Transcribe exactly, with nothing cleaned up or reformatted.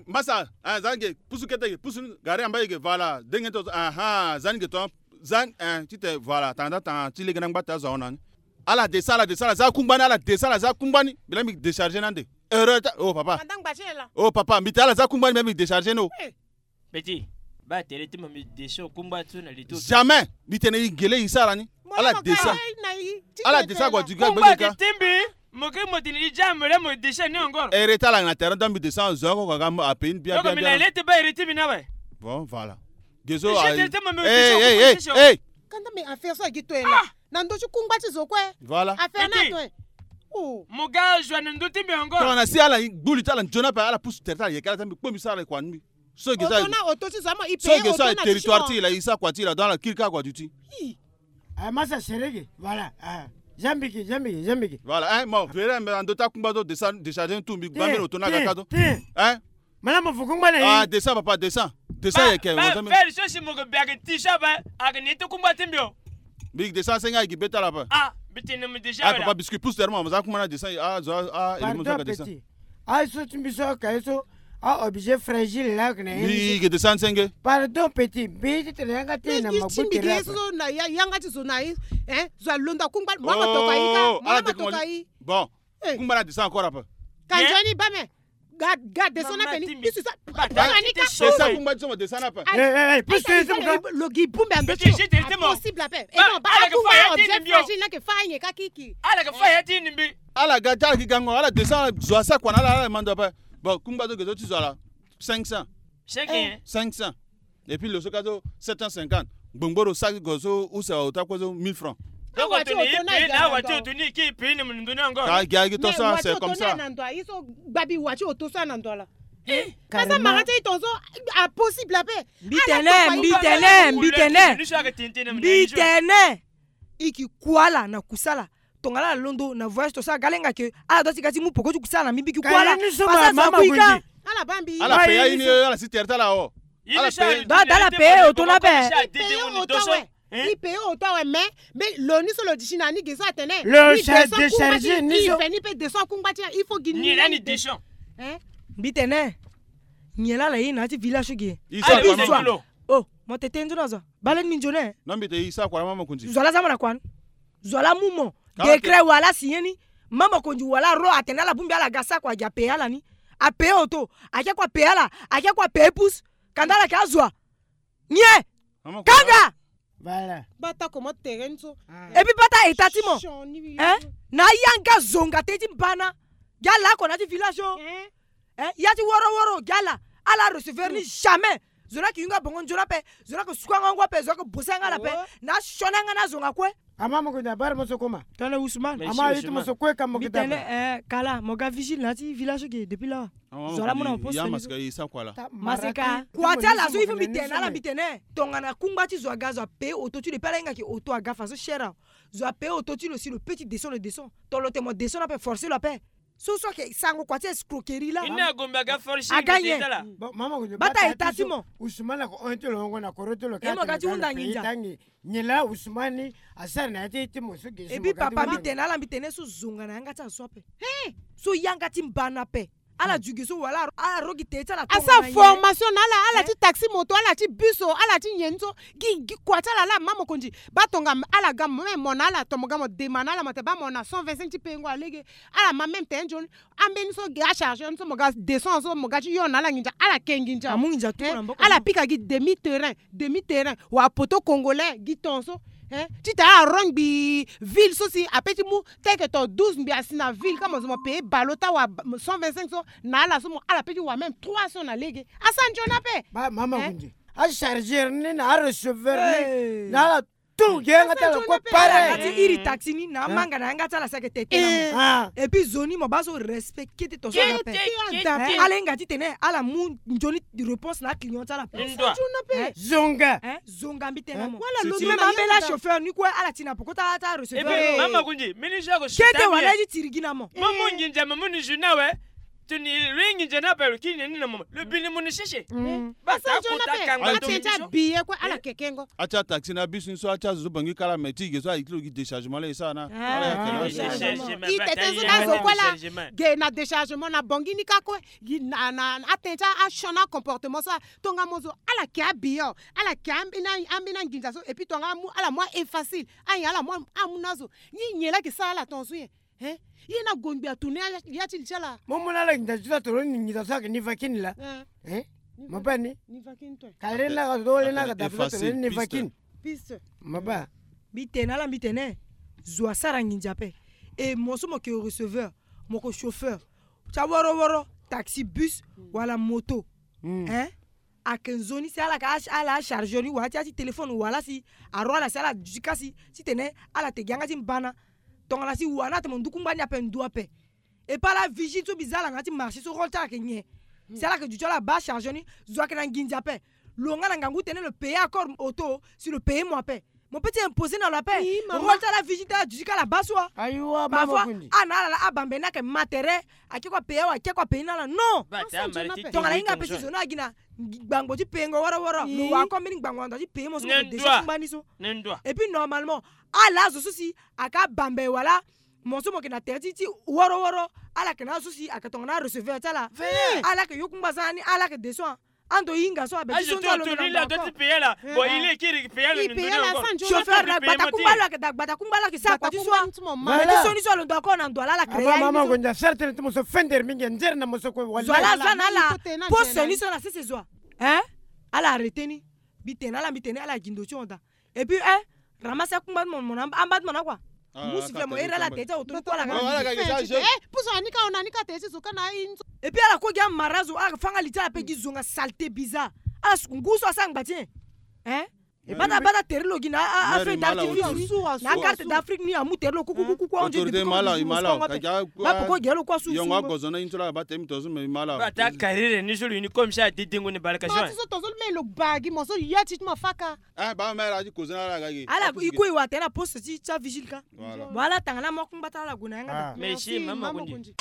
Mbasa, eh, za ni ge, pusu kete ge, pusu ni, gari amba ye ge, voilà, denge to, aha, za ni ge to, za ni, eh, ti te, voilà, tanga da tanga, ti lege na ngba ti azo ahon na ni. Ala descend, ala descend, ala za kungba ni, ala descend, ala za kungba ni, mbi la mbi décharger ni ande. Erreur ta, oh papa. Anda ngba ti e la. Oh papa, mbi te ala za kungba ni, mbi la mbi décharger ni o. Eh. Petit, baa tere ti mo mbi descend kungba ti so na li ti. Jamais, mbi tene e gele e sara ni. Ala descend. Ala descend ague du gars. Kungba ti mbi, mo ke mo tene e ja mo le mo descend ni encore. Ere ti ala na terrain, donc mbi descend, zo oko aga mo ape ni bien, bien, bien. Donc mbi na le ti baa ere ti mbi ni awe. Bon, voilà. Gezo. Hey, hey, hey, hey. Kanda me affaire so agi to e la. Na ndo ti kungba ti zo kue. Voilà. Affaire na to e. Oh. Mo ga zo na ndo ti mbi encore. Tongana si ala gbu li ti ala nzoni ape, ala pusu tere ti ala yeke ala ti mbi kpo mbi sara kua ni mbi. So ge so. Auto na auto ti zo ama i paye auto na territoire ti la, i sa kua ti la, donc ala kiri kaka kua duti. Hi. Ah, masa serege, voilà. Ah. Zambiki, zambiki, zambiki. Voilà, hein, mo vere mbe ando ta kungba zo descend, décharger tout mbi gba mbe auto na gaka zo. Hein? Mana mo fu kungba na. Ah, descend papa, descend. Descend ye ke. Ba, ba, so si mo ke biaki ti so ba, ake ni ti kungba ti mbi o. Mbi descend senga gi beta la ba. Ah, mbi tene mo déjà. Ah, papa, biscuit pousse terme, mo za kungba na descend. Ah, zo, ah, il mo za ka descend. Pardon, petit. Ah, so ti mbi so ka ye so. Ah, objet fragile la ke na ye. Mbi ke descend senge. Pardon, petit. Mbi ti tene yanga ti na mabu ti mbi ke ye so na ya-, yanga ti zo na ye. Hein? Zo alondo akungba, mo ma toka yi ka, mo ma toka yi. Bon. Eh. Kungba na descend encore ape. Ka nzoni ba me. Ga, ga descend na pe ni. Bisu sa. Ba, ba, ni ka descend, kungba ti so mo descend na pe. Eh, eh, eh, pusu te mo ka. Lo gi bumbe ando ti. Impossible ape. Eh non, ba, ala ke fa ya ti ni mbi o. Ala ke fa ya ti ni mbi. Ala ga ti ala gi gango, ala descend, zo asa kua na ala, ala mando ape. Bon, kungba zo ge zo ti zo ala. Cinq cents. Cinq cents. Cinq cents. Et puis lo so ka zo sept cent cinquante. Gbongboro sa go so use auto kue so mille francs. Donc auto ni pe na wati auto ni ki pe ni mundu ni encore. Ka gi agi to sa, c'est comme ça. Na ndo ayi so gbabi wati auto sa na ndo ala. Eh, ka sa mara ti ton so impossible ape. Mbi tene, mbi tene, mbi tene. Mbi tene. I ki kua ala na kusala. Tongana ala londo na voyage to sara ga lenga ke ala doit ti ga ti mu poko ti kusala na mbi, mbi ki kua ala. Pasa zo aku ika. Ala bambi. Ala paye aye ni, ala si tere ti ala o. Ala paye. Ba da ala paye auto na be. Paye auto awe. I paye auto awe, mais, mais lo ni so lo disi na ni ge so atene. Lo sa décharger ni so. I fe ni pe descend kungba ti ya, il faut gi ni la ni descend. Hein? Mbi tene. Nyen la ala ye na ya ti village so ge. I sa kua na mama. Oh, mo tete nzoni azo. Bale ni nzoni. Non, mbi te i sa kua na mama Konzi. Zo ala za mo na kua ni. Zo ala mu mo. Décret wala signé ni. Mama Konzi wala ro atene ala bongbi ala ga sa kua gi apaye ala ni. Apaye auto. Ake kua paye ala. Ake kua paye pousse. Kanda ala ke azo a. Nyen? Kanga. Voilà. Bata comment terrain so. Et puis bata état ti mo. Hein? Na yanga zonga te ti mbana. Gi ala oko na ya ti village o. Hein? Ya ti woro woro gi ala. Ala recevoir ni jamais. Zo na ki yunga bongo nzoni ape. Zo na ki suka nga ngu ape. Zo na ki bosa nga na pe. Na sioni nga na zonga kue. Ama mo ko na bara mo so koma. Tala Ousmane. Ama yiti mo so kue ka mo ko. Mbi tene, eh, kala mo ga vigile na ya ti village ge depuis là. Zo ala mu na mo poste. Masika. Kua ti ala so il faut mbi tene na ala mbi tene. Tongana kungba ti zo aga zo apaye auto ti lo pe ala hinga ke auto aga façon cher. Zo apaye auto ti lo si lo pe ti descend lo descend. Tongana lo te mo descend ape forcer lo ape. So so ayeke sango kua ti escroquerie la. Ini agombe aga forcing. Aga nyen? Bon, mama ko. Bata état ti mo. Ousmane ako hon ti lo ngo na koro ti lo. E mo ga ti hunda nginza. Nyen la Ousmane asara na ya ti ti mo so ge so. Et puis papa mbi tene na ala mbi tene so zonga na yanga ti ala so ape. He. So yanga ti mbana ape. Ala dugi so wala ala ro gi te ti ala. Asara formation na ala, ala ti taxi moto, ala ti bus o, ala ti nyen so. Gi, gi kua ti ala la mama Konzi. Ba tonga ala ga mo, mo na ala to mo ga mo dema na ala mo te ba mo na cent vingt-cinq ti pengo alege. Ala ma même te nzoni. Ambeni so ge acharge ni so mo ga descend so mo ga ti yo na ala nginza ala ke nginza. Amu nginza tu na mboko. Ala pika gi demi terrain, demi terrain wa poto congolais gi ton so. Hein? Ti ta ala rongbi ville so si ape ti mu teke to douze mbi asi na ville ka mo zo mo paye balo ta wa cent vingt-cinq so na ala so mo ala pe ti wa même trois cents na lege. Asa nzoni ape. Ba mama Konzi. Acharger ni na arecevoir ni na ala. Tout ge yanga ti ala kue pare. Ala ti iri taxi ni na amanga na yanga ti ala seke tete na mo. Et puis zo ni mo ba so respect kete to so na pe. Ala hinga ti tene ala mu nzoni réponse na client ti ala pe. Zonga. Zonga mbi tene na mo. Ti même ambela chauffeur ni kue ala ti na poko ta ta recevoir. Mama Konzi mini zo ko. Kete wala ye ti tiri gi na mo. Mo mu nginza mo mu ni zo na we. Toni lo ye nginza ni ape lo kiri na ni na mama. Lo bi ni mo ni sese. Basa kota kangba to. Atenza biye kue ala kekengo. Atia taxi na bisi ni so atia zo zo bangi kala me ti ge so ayi ti lo gi déchargement la e sara na. Ala ya kela. Déchargement. I tete zo na zo kue la. Ge na déchargement na bangi ni ka kue. Gi na na atenza asiona comportement so. Tonga mo zo ala ke abiye o. Ala ke ambeni ambeni anginza so et puis tonga amu ala mu a efacile. Ayen ala mu amu na zo. Ni nyen la ke sara ala tonga so nyen? Hein? Ye na gongbi atourne ya ti li ti ala. Mo mu na ala nginza ti so atoro ni nginza so ayeke ni va kini la. Hein? Mo baa ni. Ni va kini to. Ka le na ka zo le na ka dape so atoro ni va kini. Piste. Mo baa. Mbi tene na ala mbi tene. Zo asara nginza ape. E mo so mo yeke receveur, mo yeke chauffeur ti aworo woro, taxi, bus wala moto. Hein? Ayeke nzoni si ala yeke ala acharge ni wala ti ya ti téléphone wala si aro ala si ala duti kasi titene ala te gi yanga ti mbana. Tongana si wa ni atene mo ndu kungba ni ape ndu ape. E pas ala vigile so mbi za ala nga ti marché so rôle ti ala yeke nyen? Si ala yeke duti ala baa charge ni. Zo ayeke na nginza ape. Lo nga na ngangu tene lo paye accord auto si lo paye mo ape. Mo peut ti imposer na lo ape. Rôle ti ala vigile ti ala duti ka ala baa so. Parfois ana ala la abambe ni ayeke ma tere. Ake kue apaye awa ake kue apaye ni na ala non. Tongana hinga ape si zo ni agi na gbangbo ti payengo wara wara lo wa ko mbeni gbangbo na ndo ti paye mo so mo ke déjà kungba ni so. Et puis normalement ala azo so si ake abambe wala mo so mo yeke na tere ti ti woro woro. Ala yeke na azo so si ayeke tongana arecevoir ti ala. Ala yeke yo kungba za ni ala yeke de so. Ando hinga so abe ti so nzolo ndo na ndo ako. Chauffeur na gbata kungba lo ayeke da gbata kungba lo ayeke sara kua ti so. Abe ti so ni so alondo ako na ndo ala ala créer aye ni so. Zo ala aza na ala. Poste ni so na sese zo a. Hein? Ala arrêter ni. Mbi tene ala mbi tene ala gi ndo ti hon daa. Et puis hein, ramasse akungba ti mo mo na amba ti mo na kua. Mu sifflet mo here ala te ti aoto ni kue ala ga. Puso anika ona anika te ti zo ka na aye ni so. Et puis ala kue gi amara zo ala fanga li ti ala ape gi zonga saleté bizarre. Ala ngu so asara ngba ti nyen? Hein? E bata bata tere lo gi na afeuille d'artifice ni na carte d'Afrique ni amu tere lo kukukuku. Autorité ma ala ma ala. Bapoko gi lo kua su. Yongo agozo na ye ni so la bata emi to so me ma ala. Bata carrière ni so lo ni comme ça dedengo ni balaka so. Ti so to so me lo bagi mo so ya ti ti ma faka. Ah, ba mère a ti kozo na ala ga ge. Ala i kue i wa tene na poste ti ti avigile ka. Voilà. Mo ala tanga na mo akungba ti ala gue na yanga da. Merci mama Makundi.